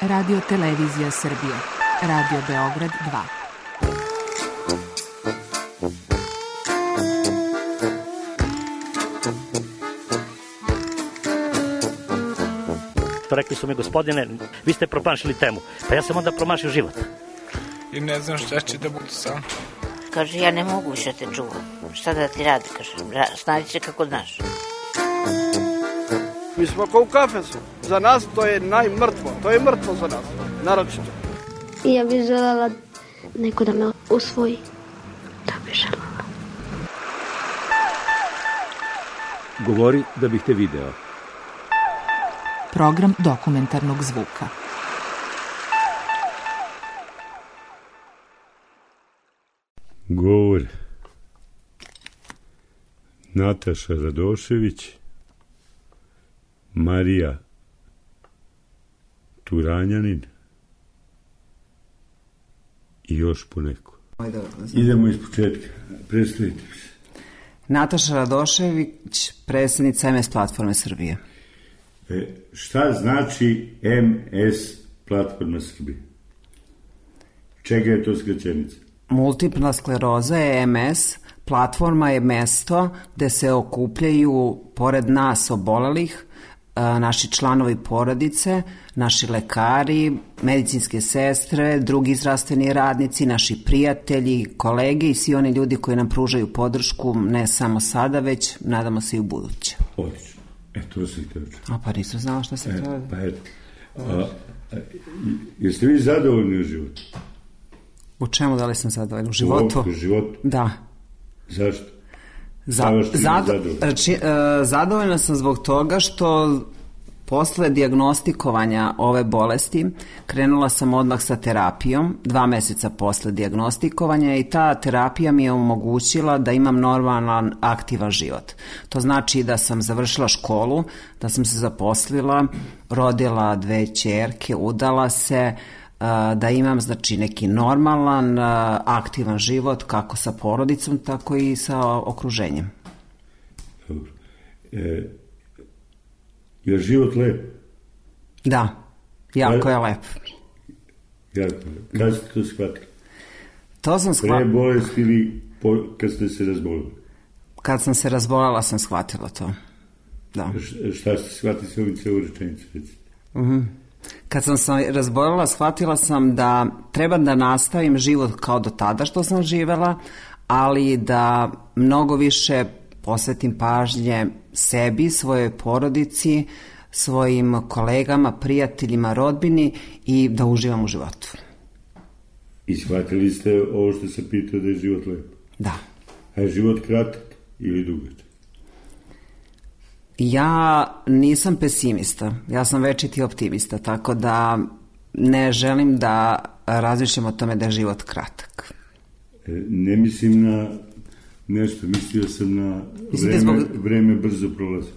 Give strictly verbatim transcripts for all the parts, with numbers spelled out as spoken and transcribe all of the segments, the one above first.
Radio Televizija Srbije, Radio Beograd dva. Rekli su mi, gospodine, vi ste promašili temu. Pa ja sam onda promašio život. I ne znam šta će da bude sam. Kaže, ja ne mogu više te čuvam. Šta da ti radi, kaže, snađi se kako znaš. Mi smo kao u kafesu. Za nas to je najmrtvo. To je mrtvo za nas, naročito. I ja bih želela neko da me usvoji. Da bih želela. Govori da bih te video. Program dokumentarnog zvuka. Govor Nataša Radošević, Marija Turanjanin i još poneko. Idemo iz početka. Predstavite se. Nataša Radošević, predsjednica em es Platforme Srbije. E, šta znači em es Platforma Srbije? Čega je to skraćenica? Multipla skleroza je em es, platforma je mesto gde se okupljaju, pored nas obolelih, naši članovi porodice, naši lekari, medicinske sestre, drugi zdravstveni radnici, naši prijatelji, kolege i svi oni ljudi koji nam pružaju podršku, ne samo sada, već nadamo se i u buduće. Odlično. E, to se htio čuti. A pa nisam znala šta se htio. Pa eto. Jeste vi zadovoljni u životu? U čemu, da li sam zadovoljna? U životu? U životu? Da. Zašto? Za, zado, reči, e, zadovoljna sam zbog toga što posle dijagnostikovanja ove bolesti krenula sam odmah sa terapijom, dva meseca posle dijagnostikovanja, i ta terapija mi je omogućila da imam normalan, aktivan život. To znači da sam završila školu, da sam se zaposlila, rodila dve ćerke, udala se, da imam, znači, neki normalan, aktivan život kako sa porodicom, tako i sa okruženjem. Dobro. E, je život lep? Da, jako je lep. Jako lep. Kada ste to shvatili? To sam shvatila. Pre bolesti ili po, kad ste se razbolili? Kad sam se razbolila sam shvatila to. Da. Š, šta ste shvatili sa ovim celu rečenicu? Mhm. Kad sam se razbolila, shvatila sam da treba da nastavim život kao do tada što sam živela, ali da mnogo više posvetim pažnje sebi, svojoj porodici, svojim kolegama, prijateljima, rodbini i da uživam u životu. I shvatili ste ovo što se pitao da je život lep? Da. A je život kratak ili dugačak? Ja nisam pesimista, ja sam večiti optimista, tako da ne želim da razmišljam o tome da je život kratak. E, ne mislim na nešto, mislio sam na vreme, zbog... vreme brzo prolazi.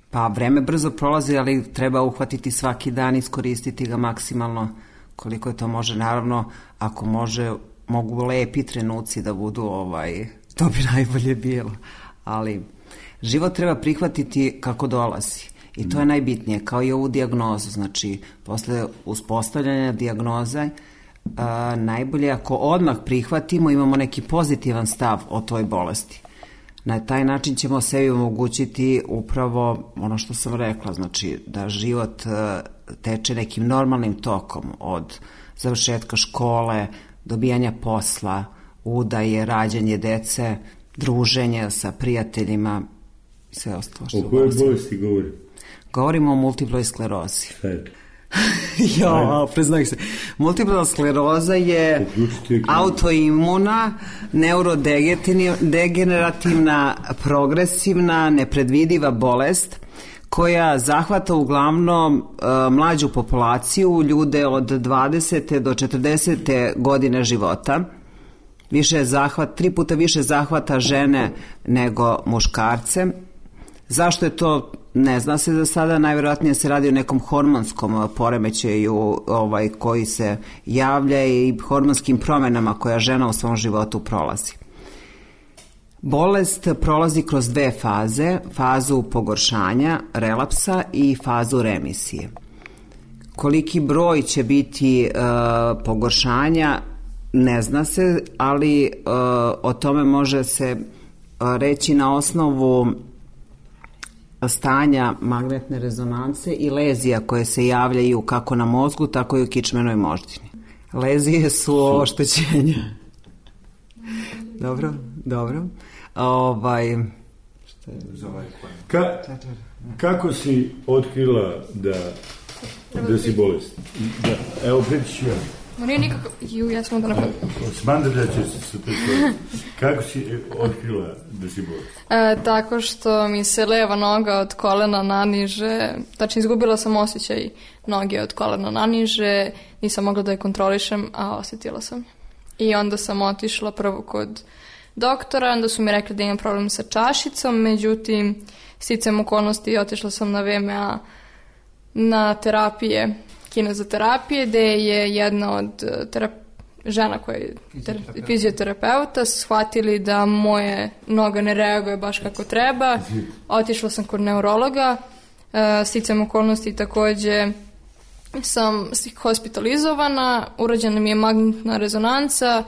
Pa vreme brzo prolazi, ali treba uhvatiti svaki dan, iskoristiti ga maksimalno koliko je to može. Naravno, ako može, mogu lepi trenuci da budu, ovaj, to bi najbolje bilo. Ali život treba prihvatiti kako dolazi. I to je najbitnije, kao i ovu dijagnozu. Znači, posle uspostavljanja dijagnoze, a, najbolje ako odmah prihvatimo, imamo neki pozitivan stav o toj bolesti. Na taj način ćemo sebi omogućiti upravo ono što sam rekla, znači da život a, teče nekim normalnim tokom od završetka škole, dobijanja posla, udaje, rađanje dece, druženje sa prijateljima i sve ostalo što... O kojoj bolesti govori? Govorimo o multiploj sklerozi. Šta je to? Jo, priznaj se. Multipla skleroza je autoimuna, neurodegenerativna, progresivna, nepredvidiva bolest koja zahvata uglavnom uh, mlađu populaciju, ljude od dvadesete do četrdesete godine života. Više zahvat, tri puta više zahvata žene nego muškarce. Zašto je to? Ne zna se za sada, najvjerojatnije se radi o nekom hormonskom poremećaju ovaj, koji se javlja i hormonskim promjenama koja žena u svom životu prolazi. Bolest prolazi kroz dve faze, fazu pogoršanja, relapsa i fazu remisije. koliki broj će biti uh, pogoršanja, ne zna se, ali uh, o tome može se uh, reći na osnovu stanja magnetne rezonance i lezija koje se javljaju kako na mozgu, tako i u kičmenoj moždini. Lezije su oštećenja. Dobro, dobro. Ovaj... Ka, kako si otkrila da, da si bolesna? Da, evo, priču ću ja. No nije nikako... Ju, ja sam onda napravila. Smandrlja će se sa te. Kako si otkrila da si bolesna? E, tako što mi se leva noga od kolena naniže, znači izgubila sam osjećaj noge od kolena naniže, nisam mogla da je kontrolišem, a osjetila sam. I onda sam otišla prvo kod doktora, onda su mi rekli da imam problem sa čašicom, međutim, sticajem okolnosti otišla sam na V M A na terapije, kinezoterapije, gde je jedna od terap... žena koja je ter... fizioterapeuta shvatili da moje noga ne reaguje baš kako treba. Otišla sam kod neurologa, sticajem okolnosti takođe sam hospitalizovana, urađena mi je magnetna rezonanca,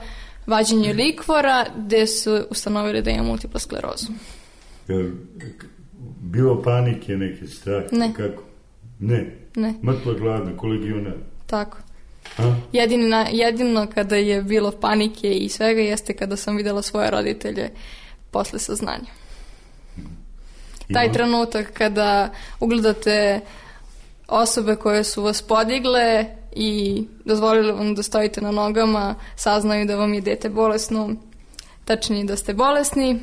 vađenje likvora, gde su ustanovili da imam multiplu sklerozu. Je bilo panike, neke strahe? Ne. Kako? Ne? Ne. Mrtva gladna, kolegionar? Tako. A? Jedino, jedino kada je bilo panike i svega jeste kada sam videla svoje roditelje posle saznanja. I taj trenutak kada ugledate osobe koje su vas podigle i dozvolili vam da stojite na nogama, saznaju da vam je dete bolesno, tačnije da ste bolesni,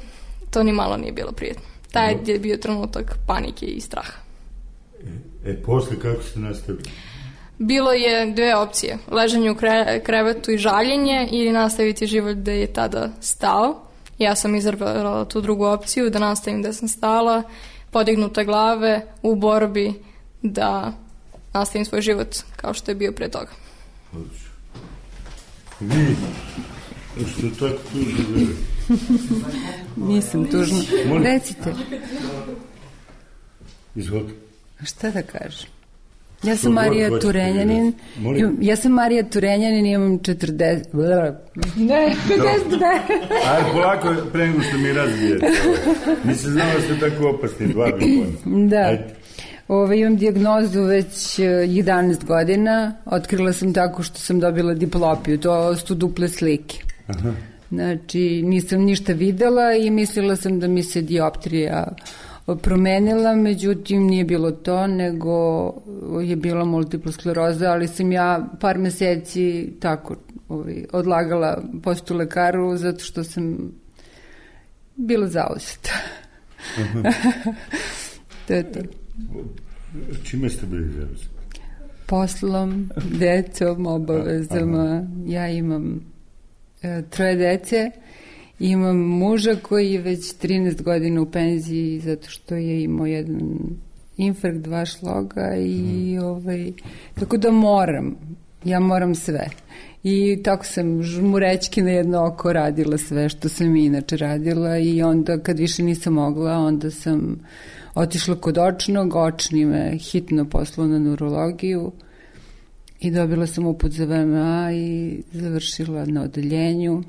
to ni malo nije bilo prijetno. Taj je bio trenutak panike i straha. E, e posle kako ste nastavili? Bilo je dve opcije, ležanje u kre, krevetu i žaljenje ili nastaviti život gde je tada stao. Ja sam izabrala tu drugu opciju, da nastavim gde sam stala, podignute glave u borbi da nastavim svoj život kao što je bio pre toga. Vi, što tako tužno gleda? Nisam tužno. Recite. Izvolite. Šta da kažem? Ja sam Marija Turenjanin. Ja sam Marija Turenjanin i imam četrdeset... Ne, pedeset dve. Ajde, polako, pre nego što mi razbijete. Nisam znala da ste tako opasni, dva bi pojma. Da. Ove, imam dijagnozu već jedanaest godina. Otkrila sam tako što sam dobila diplopiju. To su duple slike. Aha. Znači, nisam ništa videla i mislila sam da mi se dioptrija promenila, međutim nije bilo to, nego je bila multipla skleroza, ali sam ja par meseci tako ovaj, odlagala postu lekaru zato što sam bila zauzeta. To je to. Čime ste bili zauzeti? Poslom, decom, obavezama. Ja imam e, troje dece. Imam muža koji je već trinaest godina u penziji zato što je imao jedan infarkt, dva šloga i ovaj, tako da moram, ja moram sve. I tako sam žmurećki na jedno oko radila sve što sam inače radila i onda kad više nisam mogla, onda sam otišla kod očnog, očni me hitno poslao na neurologiju i dobila sam uput za V M A i završila na odeljenju.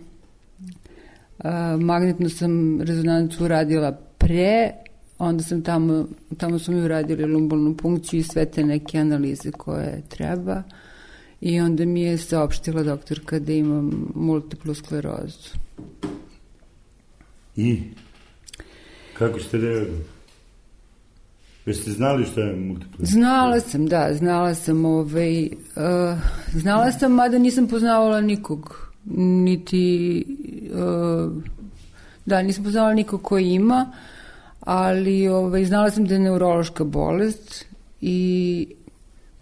Uh, magnetnu sam rezonancu uradila pre, onda sam tamo, tamo su mi uradili lumbalnu punkciju i sve te neke analize koje treba i onda mi je saopštila doktorka da imam multiplu sklerozu. I? Kako ste reagovali? Jeste znali šta je multipla skleroza? Znala sam, da, znala sam ovaj, uh, znala sam, mada nisam poznavala nikog. Niti uh, da, nisam poznala nikog koji ima, ali ovaj, znala sam da je neurološka bolest i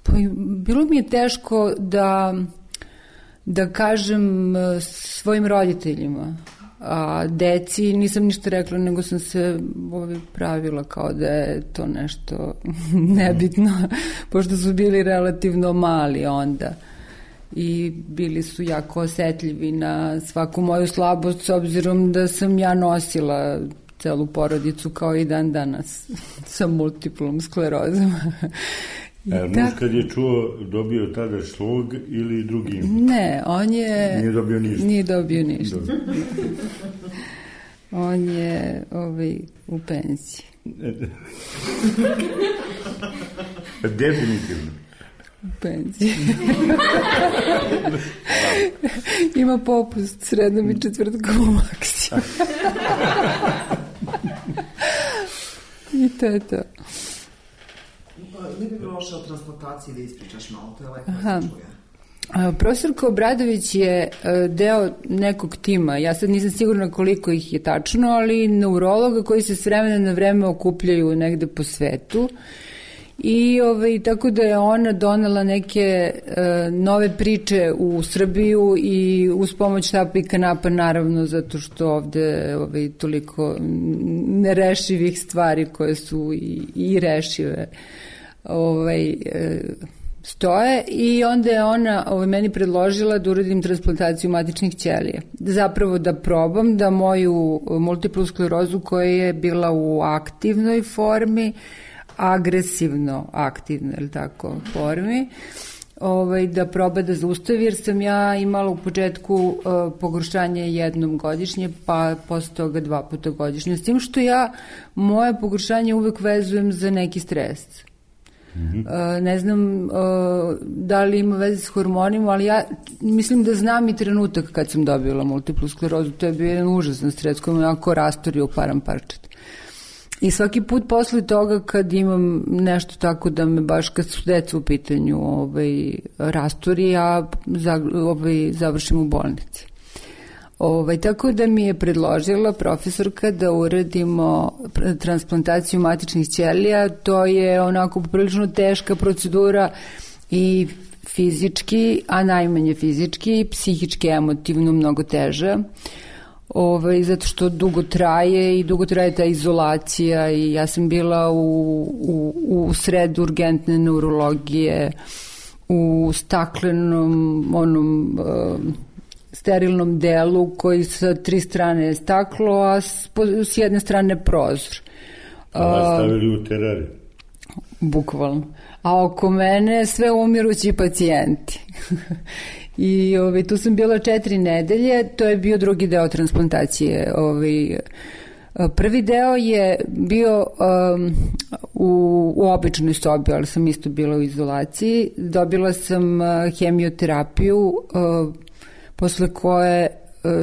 pa, bilo mi je teško da da kažem svojim roditeljima, a deci nisam ništa rekla, nego sam se ovaj, pravila kao da je to nešto nebitno, pošto su bili relativno mali onda i bili su jako osetljivi na svaku moju slabost, s obzirom da sam ja nosila celu porodicu kao i dan danas sa multiplom sklerozom. A muž kad je čuo, dobio tada šlog ili drugi import? Ne, on je... Nije dobio ništa? Nije dobio ništa. On je ovaj, u penziji. Definitivno. U penziji. Ima popust srednom i četvrtkom u Maksiju. I to je to. Ne bi bilo loše o transplantaciji da ispričaš malo, to je lepo da se čuje. Profesorka Obradović je deo nekog tima, ja sad nisam sigurna koliko ih je tačno, ali neurologa koji se s vremena na vreme okupljaju negde po svetu i ovaj, tako da je ona donela neke uh, nove priče u Srbiju i uz pomoć štapa i kanapa naravno zato što ovde ovaj, toliko nerešivih stvari koje su i, i rešive ovaj, uh, stoje i onda je ona ovaj, meni predložila da uradim transplantaciju matičnih ćelija. Zapravo da probam da moju multiplu sklerozu koja je bila u aktivnoj formi, agresivno aktivnoj, ili tako, formi, ovaj, da proba da zaustavi, jer sam ja imala u početku uh, pogoršanje jednom godišnje, pa posle toga dva puta godišnje. S tim što ja moje pogoršanje uvek vezujem za neki stres. Mm-hmm. Uh, ne znam uh, da li ima veze s hormonima, ali ja mislim da znam i trenutak kad sam dobila multiplu sklerozu. To je bio jedan užasan stres koji me onako rastorio u param parčet. I svaki put posle toga kad imam nešto tako da me baš kad su deca u pitanju ovaj, rastori, ja za, ovaj, završim u bolnici. Ovaj, tako da mi je predložila profesorka da uradimo transplantaciju matičnih ćelija. To je onako poprilično teška procedura i fizički, a najmanje fizički, i psihički, emotivno mnogo teža. Ovaj, zato što dugo traje i dugo traje ta izolacija i ja sam bila u, u, u sred urgentne neurologije, u staklenom onom... Uh, sterilnom delu koji sa tri strane je staklo, a s, s jedne strane prozor. A vas stavili u terariju? Bukvalno. A oko mene sve umirući pacijenti. I ovaj, tu sam bila četiri nedelje, to je bio drugi deo transplantacije. Ovaj, prvi deo je bio um, u, u običnoj sobi, ali sam isto bila u izolaciji. Dobila sam uh, hemioterapiju, uh, posle koje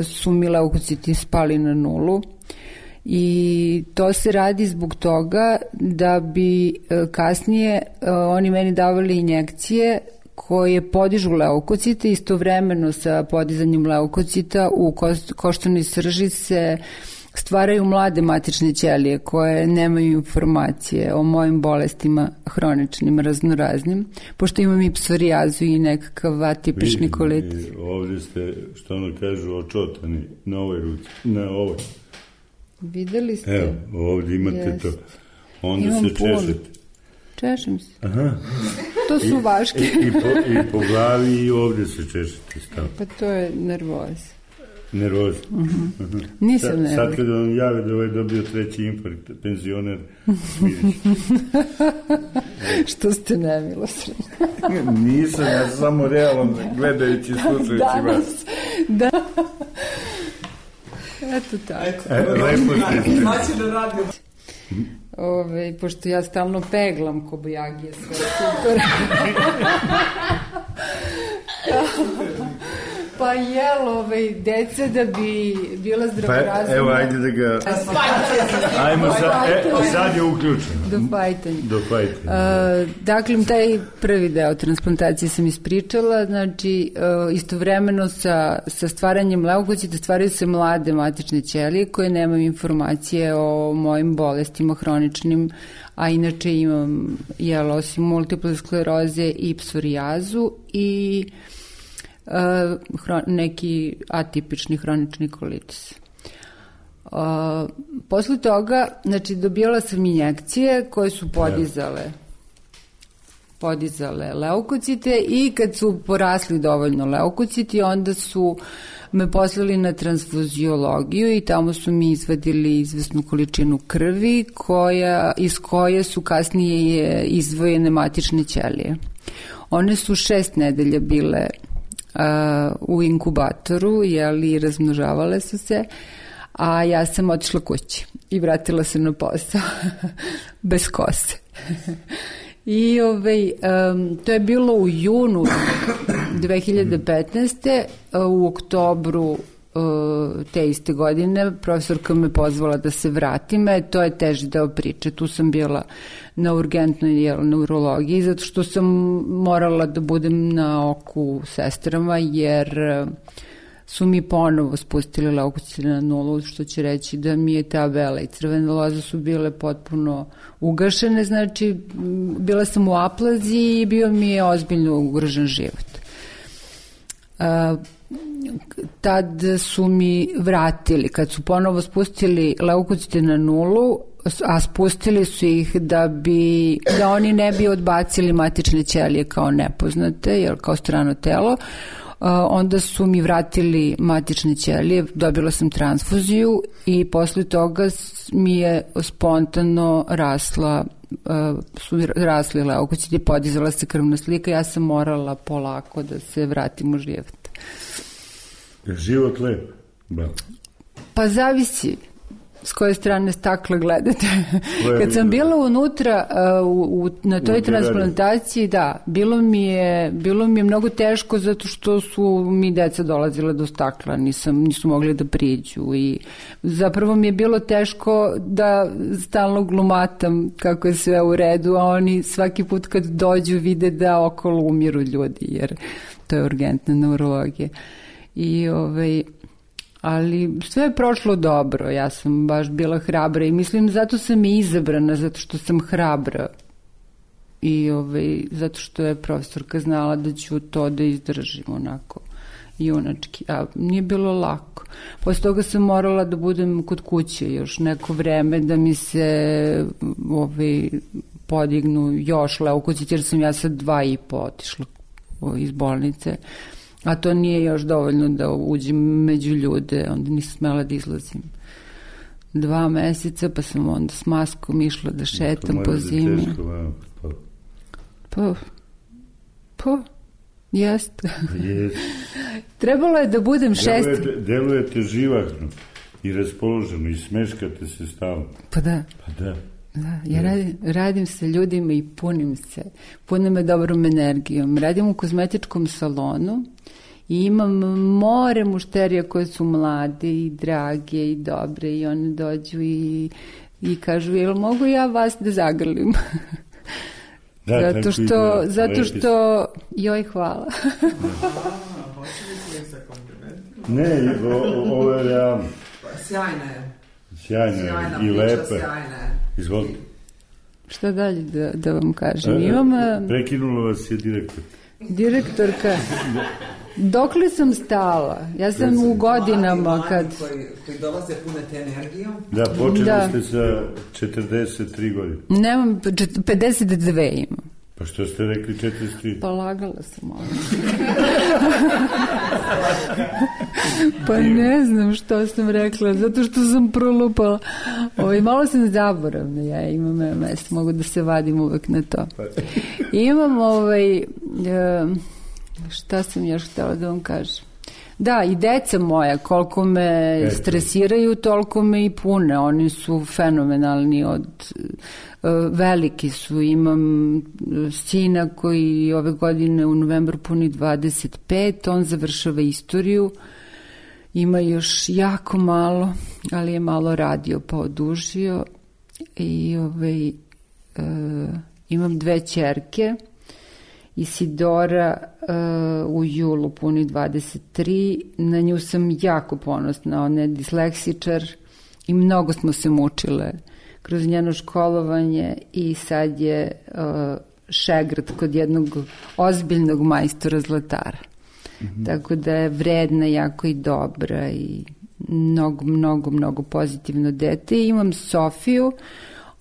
su mi leukociti spali na nulu i to se radi zbog toga da bi kasnije oni meni davali injekcije koje podižu leukocite, istovremeno sa podizanjem leukocita u koštanoj srži se stvaraju mlade matične ćelije koje nemaju informacije o mojim bolestima hroničnim, raznoraznim, pošto imam i psorijazu i nekakav atipični kolitis. Ovdje ste, što ono kažu, očotani na ovoj ruci, na ovoj. Videli ste? Evo, ovdje imate Jest. To. Onda imam se češete. Češem se. Aha. To su I, vaške. I, i, po, I po glavi i ovdje se češete stav. Pa to je nervoza. Nervoza. Uh-huh. Uh-huh. Nisam nervoza. Sad kada vam jave da ovaj dobio treći infarkt, penzioner, što ste nemilosredni. Nisam, ja samo realno gledajući, slušajući vas. Da. Eto tako. E, lepo ste. Znači da radim. Ove, pošto ja stalno peglam kobajagije, sve super. Pa jel, ovaj, deca da bi bila zdravorazumna... Pa evo, ajde da ga... Ajmo sad, e, sad je uključeno. Do fajtanja. Do fajtanja. Uh, dakle, taj prvi deo transplantacije sam ispričala, znači uh, istovremeno sa, sa stvaranjem leukocita stvaraju se mlade matične ćelije koje nemaju informacije o mojim bolestima hroničnim, a inače imam, jel, osim multiple skleroze i psorijazu i uh, hron, neki atipični hronični kolitis. Uh, posle toga, znači, dobijala sam injekcije koje su podizale podizale leukocite i kad su porasli dovoljno leukociti, onda su me poslali na transfuziologiju i tamo su mi izvadili izvesnu količinu krvi koja, iz koje su kasnije izdvojene matične ćelije. One su šest nedelja bile uh, u inkubatoru, jeli, razmnožavale su se, a ja sam otišla kući i vratila se na posao bez kose. I ovaj, um, to je bilo u junu dve hiljade petnaeste. U oktobru uh, te iste godine profesorka me pozvala da se vratim, e, to je teži deo priče. Tu sam bila na urgentnoj jel, neurologiji, zato što sam morala da budem na oku sestrama, jer su mi ponovo spustili leukocite na nulu, što će reći da mi je ta bela i crvena loza su bile potpuno ugašene, znači bila sam u aplazi i bio mi je ozbiljno ugrožen život. A, tad su mi vratili, kad su ponovo spustili leukocite na nulu, a spustili su ih da bi, da oni ne bi odbacili matične ćelije kao nepoznate, jer kao strano telo, onda su mi vratili matične ćelije, dobila sam transfuziju i posle toga mi je spontano rasla, su rasli leukociti, podizala se krvna slika, ja sam morala polako da se vratim u život. Je život lep? Bravo. Pa zavisi s koje strane stakla gledate. Kad sam bila unutra u, u, na toj transplantaciji, da, bilo mi, je, bilo mi je mnogo teško zato što su mi deca dolazile do stakla, nisam, nisu mogli da priđu i zapravo mi je bilo teško da stalno glumatam kako je sve u redu, a oni svaki put kad dođu vide da okolo umiru ljudi, jer to je urgentna neurologija. I ovaj... ali sve je prošlo dobro, ja sam baš bila hrabra i mislim zato sam i izabrana, zato što sam hrabra i ovaj, zato što je profesorka znala da ću to da izdržim onako junački, a nije bilo lako. Posle toga sam morala da budem kod kuće još neko vreme da mi se ovaj, podignu još leukociti, jer sam ja sad dva i po otišla iz bolnice. A to nije još dovoljno da uđem među ljude, onda nisam smela da izlazim. Dva meseca, pa sam onda s maskom išla da šetam po zimi. Pa, pa, pa jeste. Trebalo je da budem šest... Delujete, delujete živahno i raspoloženo i smeškate se stalno. Pa da. Pa da. Da, ja radim, radim sa ljudima i punim se, punim me dobrom energijom. Radim u kozmetičkom salonu i imam more mušterija koje su mlade i drage i dobre i one dođu i, i kažu, jel mogu ja vas da zagrlim? Da, zato što, zato što, joj, hvala. Ne, ovo je realno. Sjajna je. Sjajna je i lepa. Izvolite. Šta dalje da, da vam kažem? Imam... Prekinula vas je direktor. Direktorka. Dokle sam stala? Ja sam u godinama kad... Koji, koji dolaze pune te energijom. Da, počeli da. ste sa četrdeset tri godine. Nemam, pedeset dve imam. Pa što ste rekli četrdeset tri? Pa lagala sam ovo. Pa ne znam što sam rekla, zato što sam prolupala. Ovo, malo sam zaboravna, ja imam M M S, mogu da se vadim uvek na to. Imam ovaj, šta sam još htjela da vam kažem. Da, i deca moja, koliko me stresiraju, toliko me i pune. Oni su fenomenalni, od veliki su. Imam sina koji ove godine u novembru puni dvadeset pet, on završava istoriju. Ima još jako malo, ali je malo radio pa odužio. I ovaj, e, imam dve ćerke. Isidora uh, u julu puni dvadeset tri, na nju sam jako ponosna, ona je disleksičar i mnogo smo se mučile kroz njeno školovanje i sad je uh, šegrt kod jednog ozbiljnog majstora zlatara. Mm-hmm. Tako da je vredna, jako i dobra i mnogo, mnogo, mnogo pozitivno dete. I imam Sofiju,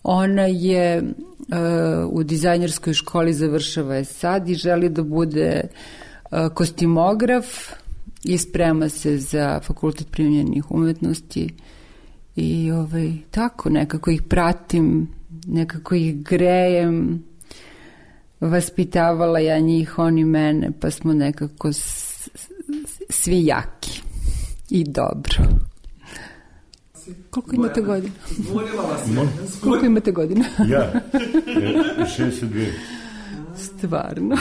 Ona je uh, u dizajnerskoj školi, završava je sad i želi da bude uh, kostimograf i sprema se za Fakultet primenjenih umetnosti i ovaj, tako nekako ih pratim, nekako ih grejem, vaspitavala ja njih, oni mene, pa smo nekako s, svi jaki i dobro. Koliko imate godina? Koliko imate godina? Ja, šezdeset dve. Stvarno.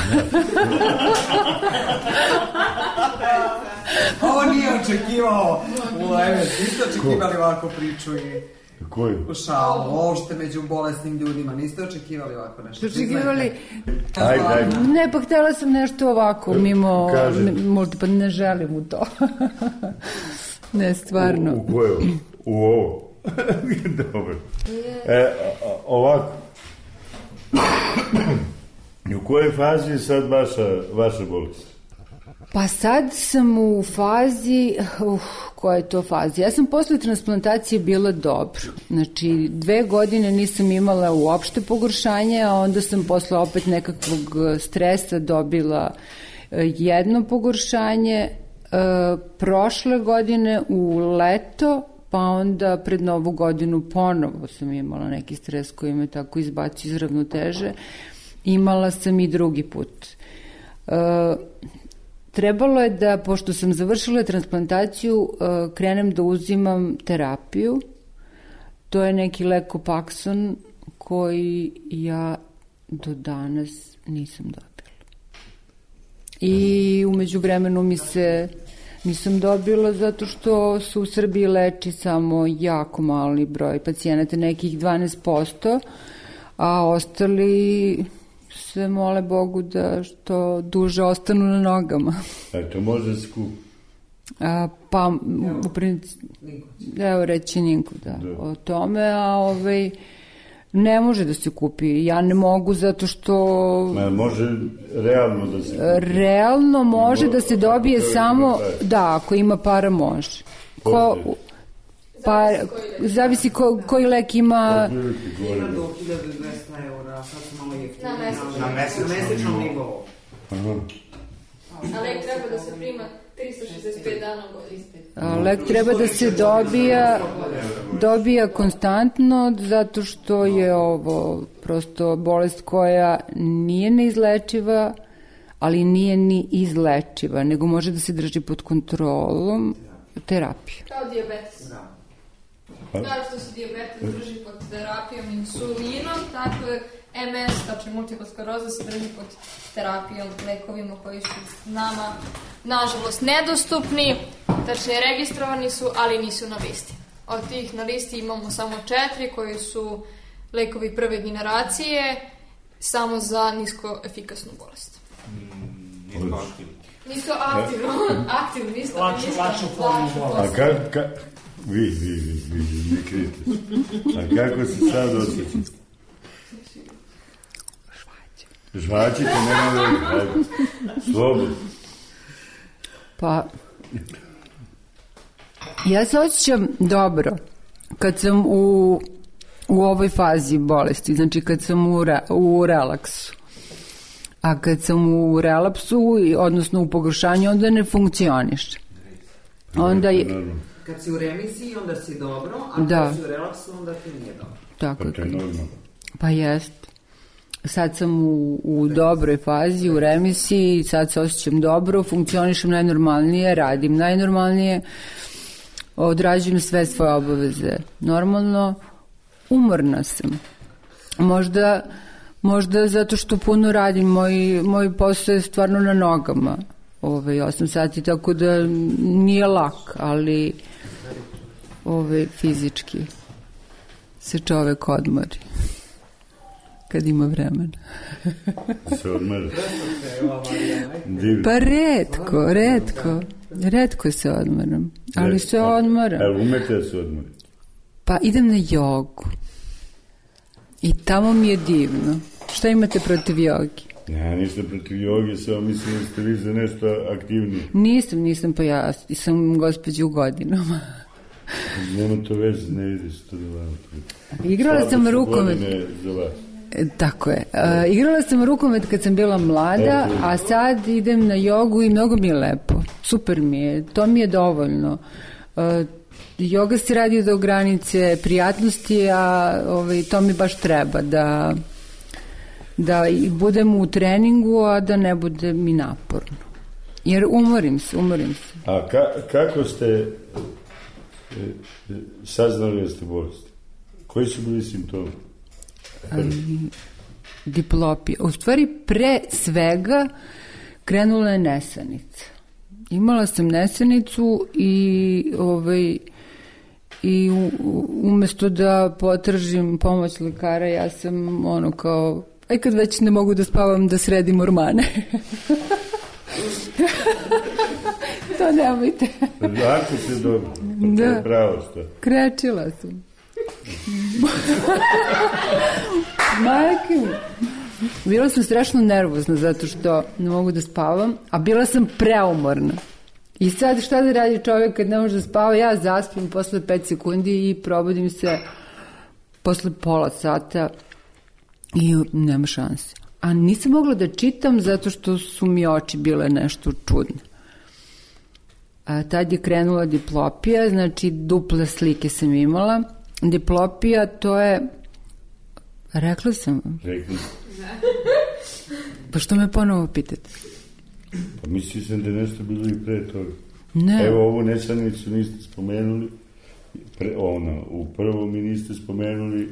Ovo nije očekivao u Leme, niste očekivali ovako priču i koju? U šalu, uopšte među bolesnim ljudima, niste očekivali ovako nešto? Očekivali? Ajde, ajde. Ne, pa htjela sam nešto ovako, mimo, možda pa ne želim u to. Ne, stvarno. U, u koju? U ovo? Dobro. E, ovako. U kojoj fazi je sad vaša, vaša bolest? Pa sad sam u fazi, uh, koja je to faza? Ja sam posle transplantacije bila dobro. Znači, dve godine nisam imala uopšte pogoršanje, a onda sam posle opet nekakvog stresa dobila jedno pogoršanje. Uh, prošle godine u leto, pa onda pred novu godinu ponovo sam imala neki stres koji me tako izbacio iz ravnoteže. Imala sam i drugi put. Uh, trebalo je da, pošto sam završila transplantaciju, uh, krenem da uzimam terapiju. To je neki lekopakson koji ja do danas nisam dobila. I umeđu vremenu mi se nisam dobila zato što se u Srbiji leči samo jako mali broj pacijenata, nekih dvanaest posto, a ostali se mole Bogu da što duže ostanu na nogama. A to može da se kupi? A, pa, u principu, evo reći Ninku, da, da, o tome, a ovaj, ne može da se kupi. Ja ne mogu zato što... Ma, može realno da se kupi? Realno može Mo, da se dobije samo, da, ako ima para može. Ko, pa, zavisi ko, koji lek ima... Ima do hiljadu dvesta eura, sad su malo jeftine. Na mesečnom nivou. A lek treba da se prima tristo šezdeset pet dana godine. Lek treba da se dobija dobija konstantno zato što je ovo prosto bolest koja nije neizlečiva, ali nije ni izlečiva, nego može da se drži pod kontrolom terapije. Kao dijabetes. Kao što se dijabetes drži pod terapijom insulinom, tako je M S, znači multipla skleroza, se drži pod terapijom, lekovima koji su nama, nažalost, nedostupni, tačnije registrovani su, ali nisu na listi. Od tih na listi imamo samo četiri koji su lekovi prve generacije, samo za nisko efikasnu bolest. Mm, nisko aktivno. Nisko aktivno, aktivno, nisko lakšu, lakšu formu bolest. A ka, ka, vi, vi, vi, vi, ne krite. A kako se sad osjećate? Žvaćite, nema da je slobodno. Pa, ja se osjećam dobro kad sam u, u ovoj fazi bolesti, znači kad sam u, re, u relaksu. A kad sam u relapsu, odnosno u pogoršanju, onda ne funkcioniš. Onda je... Kad si u remisiji, onda si dobro, a da. Kad si u relaksu, onda ti nije dobro. Tako pa to je normalno. Pa jest. Sad sam u, u dobroj fazi, u remisiji, sad se osjećam dobro, funkcionišem najnormalnije, radim najnormalnije, odrađujem sve svoje obaveze. Normalno, umorna sam. Možda, možda zato što puno radim, moj, moj posao je stvarno na nogama. Ove, osam sati, tako da nije lak, ali ove, fizički se čovek odmori. Kad ima vremena. Se odmara. Pa retko, retko. Retko se odmaram. Ali se odmaram. Ali umete da se odmara? Pa idem na jogu. I tamo mi je divno. Šta imate protiv jogi? Ja ništa protiv joge, samo mislim da ste vi za nešto aktivnije. Nisam, nisam, pa ja sam gospođa u godinama. Nema to veze, ne ide se to da vam. Igrala sam rukomet. Za vas. Tako je. Uh, igrala sam rukomet kad sam bila mlada, a sad idem na jogu i mnogo mi je lepo. Super mi je, to mi je dovoljno. Uh, joga se radi do granice prijatnosti, a ovaj, to mi baš treba, da, da budem u treningu, a da ne bude mi naporno. Jer umorim se, umorim se. A ka, kako ste e, e, saznali da ste bolesti? Koji su bili simptomi? Um, diplopija. U stvari, pre svega krenula je nesanica. Imala sam nesanicu i ovaj, i umesto da potražim pomoć lekara, ja sam ono kao, aj kad već ne mogu da spavam, da sredim ormane. To nemojte. Ako se dobro, to je pravo što. Krečila sam. Majke, bila sam strašno nervozna zato što ne mogu da spavam, a bila sam preumorna. I sad šta da radi čovjek kad ne može da spava? Ja zaspim posle pet sekundi i probudim se posle pola sata i nema šanse. A nisam mogla da čitam zato što su mi oči bile nešto čudne. A tad je krenula diplopija, znači duple slike sam imala. Diplopija, to je... Rekla sam vam. Rekli. Pa što me ponovo pitate? Pa mislio sam da je nešto bilo i pre toga. Ne. Evo, ovu nesanicu niste spomenuli. Pre, ona, u prvom mi niste spomenuli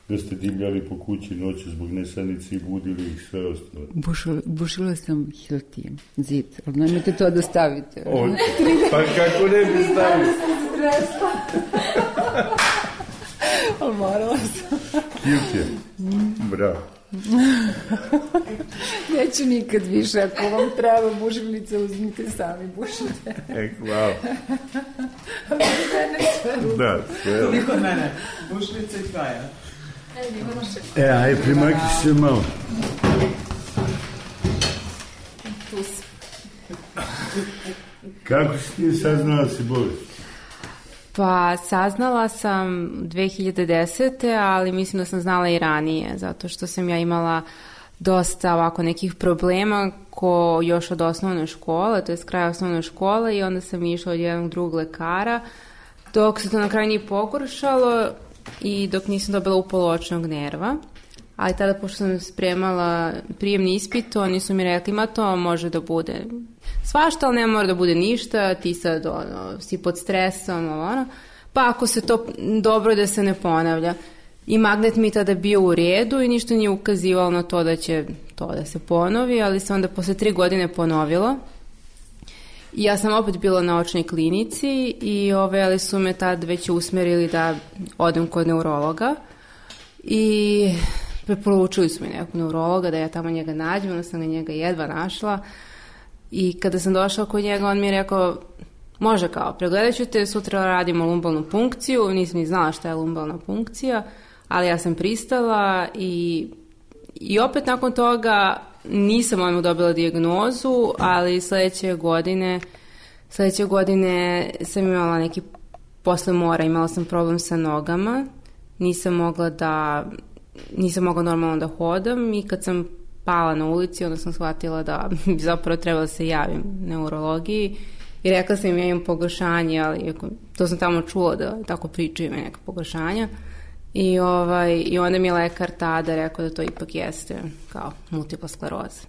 da ste divljali po kući noću zbog nesanice i budili ih sve ostalo. Bušila, bušila sam hiltijem, zid, ali nemojte to da stavite. O, pa kako ne bi stavili? Ali morala sam. Hiltijem, bravo. Neću nikad više, ako vam treba bušilice, uzmite sami, bušite. E, hvala. Da, sve. Niko od mene, bušilice i tvaja. E, aj, primakri se malo. Tu si. Kako si ti saznala si bolest? Pa saznala sam dve hiljade desete. ali mislim da sam znala i ranije, zato što sam ja imala dosta ovako nekih problema ko još od osnovne škole, to je s kraja osnovne škole, i onda sam išla od jednog drugog lekara, dok se to na kraju nije pogoršalo i dok nisam dobila upalo očnog nerva. Ali tada, pošto sam spremala prijemni ispit, oni su mi rekli, ma to može da bude svašta, ali ne mora da bude ništa, ti sad ono, si pod stresom, ono, pa ako se to dobro da se ne ponavlja. I magnet mi tada bio u redu i ništa nije ukazivalo na to da će to da se ponovi, ali se onda posle tri godine ponovilo. I ja sam opet bila na očnoj klinici i ove, ali su me tad već usmerili da odem kod neurologa i preporučili su mi nekog neurologa da ja tamo njega nađem, onda sam ga njega jedva našla i kada sam došla kod njega, on mi je rekao, može kao, pregledat ću te, sutra radimo lumbalnu punkciju, nisam ni znala šta je lumbalna punkcija, ali ja sam pristala i, i opet nakon toga nisam odmah dobila dijagnozu, ali sledeće godine, sledeće godine sam imala neki, posle mora, imala sam problem sa nogama, nisam mogla da, nisam mogla normalno da hodam i kad sam pala na ulici, onda sam shvatila da bi zapravo trebala da se javim neurologiji i rekla sam im ja imam pogoršanje, ali to sam tamo čula da tako pričaju me neka pogoršanja. I, ovaj, I onda mi je lekar tada rekao da to ipak jeste kao multipla skleroza.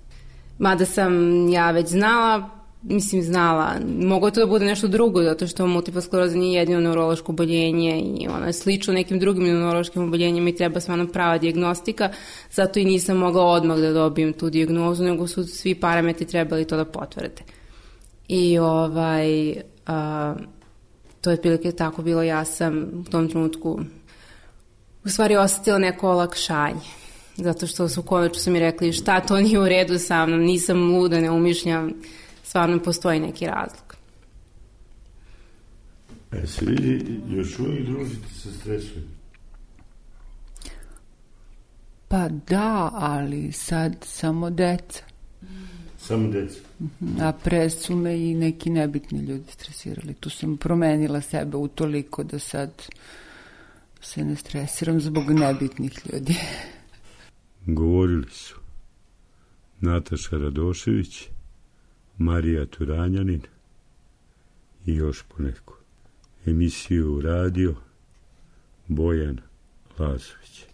Mada sam ja već znala, mislim znala, moglo je to da bude nešto drugo, zato što multipla skleroza nije jedino neurološko oboljenje i ono je slično nekim drugim neurološkim oboljenjima i treba stvarno prava dijagnostika, zato i nisam mogla odmah da dobijem tu dijagnozu, nego su svi parametri trebali to da potvrde. I ovaj, a, to je otprilike tako bilo, ja sam u tom trenutku u stvari osetila neko olakšanje, zato što su konačno su mi rekli šta to nije u redu sa mnom, nisam luda, ne umišljam, stvarno postoji neki razlog. E, se vidi, još uvijek družite sa stresom? Pa da, ali sad samo deca. Samo deca. A pre su me i neki nebitni ljudi stresirali. Tu sam promenila sebe utoliko da sad se ne stresiram zbog nebitnih ljudi. Govorili su Nataša Radošević, Marija Turanjanin i još poneko. Emisiju radio Bojan Lazović.